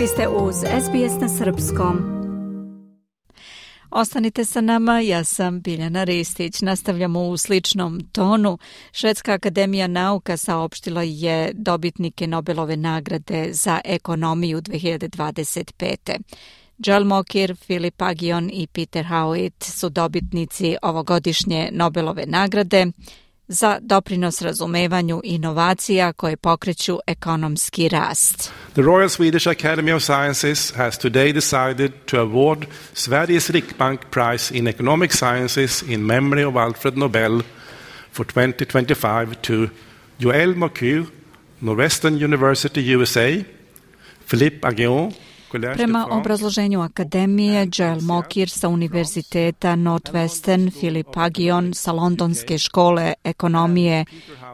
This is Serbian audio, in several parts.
Vi ste uz SBS na srpskom. Ostanite sa nama, ja sam Biljana Ristić. Nastavljamo u sličnom tonu. Švedska akademija nauka saopštila je dobitnike Nobelove nagrade za ekonomiju 2025. Joel Mokyr, Philip Aghion i Peter Howitt su dobitnici ovogodišnje Nobelove nagrade za doprinos razumevanju inovacija koje pokreću ekonomski rast. The Royal Swedish Academy of Sciences has today decided to award Sveriges Riksbank Prize in Economic Sciences in memory of Alfred Nobel for 2025 to Joel Mokyr, Northwestern University, USA, Philippe Aghion. Prema obrazloženju akademije, Joel Mokyr sa Univerziteta Northwestern, Philip Aghion sa Londonske škole ekonomije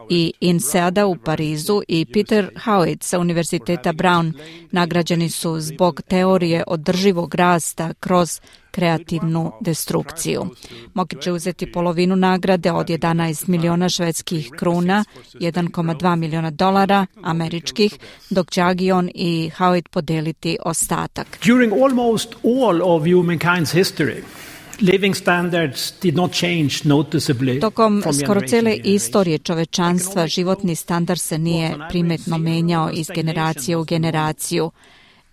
i INSEAD-a u Parizu i Peter Howitt sa Univerziteta Brown nagrađeni su zbog teorije održivog rasta kroz kreativnu destrukciju. Mokyr će uzeti polovinu nagrade od 11 miliona švedskih kruna, 1,2 miliona dolara američkih, dok će Aghion i Howitt podeliti ostatak. During almost all of humankind's history, living standards did not change noticeably. Tokom skoro cele istorije čovečanstva životni standard se nije primetno menjao iz generacije u generaciju.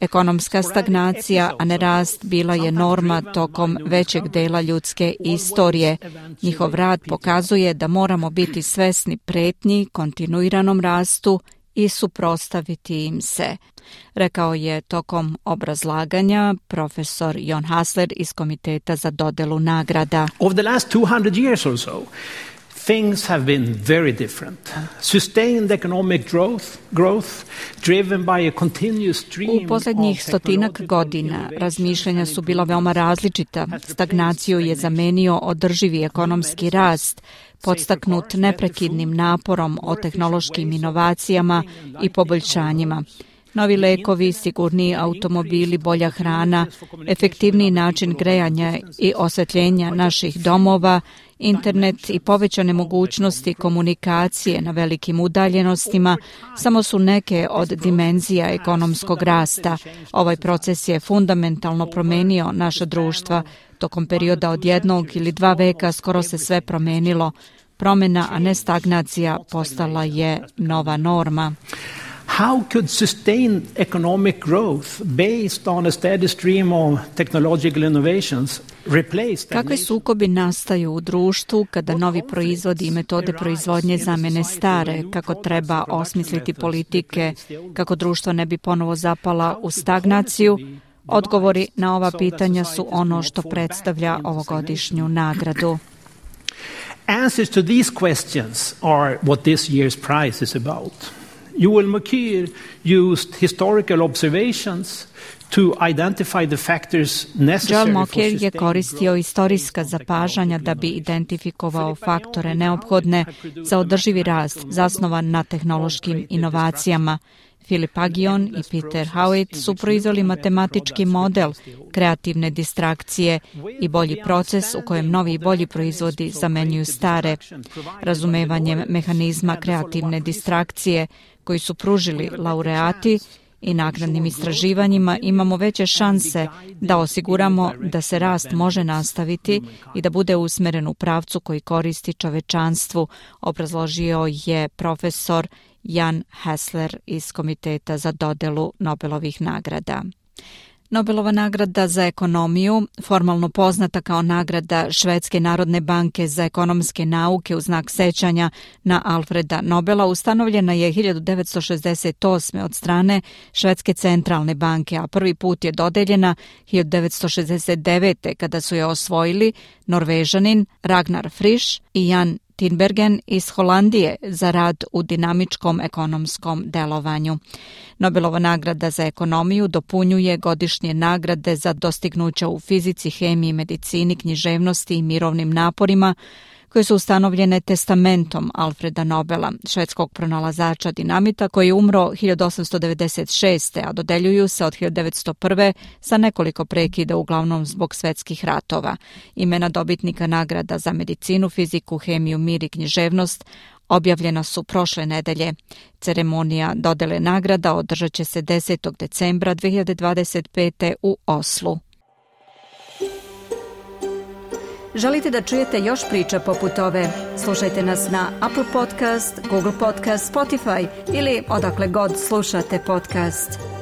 Ekonomska stagnacija, a ne rast, bila je norma tokom većeg dela ljudske istorije. Njihov rad pokazuje da moramo biti svesni pretnji, kontinuiranom rastu i suprotstaviti im se, rekao je tokom obrazlaganja profesor Jon Hassler iz Komiteta za dodelu nagrada. Over the last 200 years or so, things have been very different. Sustained economic growth driven by a continuous stream. U posljednjih stotinak godina razmišljanja su bila veoma različita. Stagnaciju je zamenio održivi ekonomski rast, podstaknut neprekidnim naporom o tehnološkim inovacijama i poboljšanjima. Novi lekovi, sigurniji automobili, bolja hrana, efektivniji način grejanja i osvetljenja naših domova, internet i povećane mogućnosti komunikacije na velikim udaljenostima samo su neke od dimenzija ekonomskog rasta. Ovaj proces je fundamentalno promenio naša društva. Tokom perioda od 1 ili 2 veka skoro se sve promenilo. Promjena, a ne stagnacija, postala je nova norma. How could sustained economic growth based on a steady stream of technological innovations replace? Kakvi sukobi nastaju u društvu kada novi proizvodi i metode proizvodnje zamene stare? Kako treba osmisliti politike kako društvo ne bi ponovo zapala u stagnaciju? Odgovori na ova pitanja su ono što predstavlja ovogodišnju nagradu. Answers to these questions are what this year's prize is about. Joel Mokyr used historical observations to identify the factors necessary. Joel Mokyr je koristio istorijska zapažanja da bi identifikovao faktore neophodne za održivi rast zasnovan na tehnološkim inovacijama. Philip Aghion i Peter Howitt su proizveli matematički model kreativne distrakcije i bolji proces u kojem novi i bolji proizvodi zamenjuju stare. Razumevanjem mehanizma kreativne distrakcije koji su pružili laureati i naknadnim istraživanjima imamo veće šanse da osiguramo da se rast može nastaviti i da bude usmeren u pravcu koji koristi čovečanstvu, obrazložio je profesor Jan Hassler iz Komiteta za dodelu Nobelovih nagrada. Nobelova nagrada za ekonomiju, formalno poznata kao nagrada Švedske narodne banke za ekonomske nauke u znak sećanja na Alfreda Nobela, ustanovljena je 1968. od strane Švedske centralne banke, a prvi put je dodeljena 1969. kada su je osvojili Norvežanin Ragnar Frisch i Jan Tinbergen iz Holandije za rad u dinamičkom ekonomskom delovanju. Nobelova nagrada za ekonomiju dopunjuje godišnje nagrade za dostignuća u fizici, hemiji, medicini, književnosti i mirovnim naporima koje su ustanovljene testamentom Alfreda Nobela, švedskog pronalazača dinamita koji je umro 1896. a dodeljuju se od 1901. sa nekoliko prekida, uglavnom zbog svetskih ratova. Imena dobitnika nagrada za medicinu, fiziku, hemiju, mir i književnost objavljena su prošle nedelje. Ceremonija dodele nagrada održat će se 10. decembra 2025. u Oslu. Želite da čujete još priča poput ove? Slušajte nas na Apple Podcast, Google Podcast, Spotify ili odakle god slušate podcast.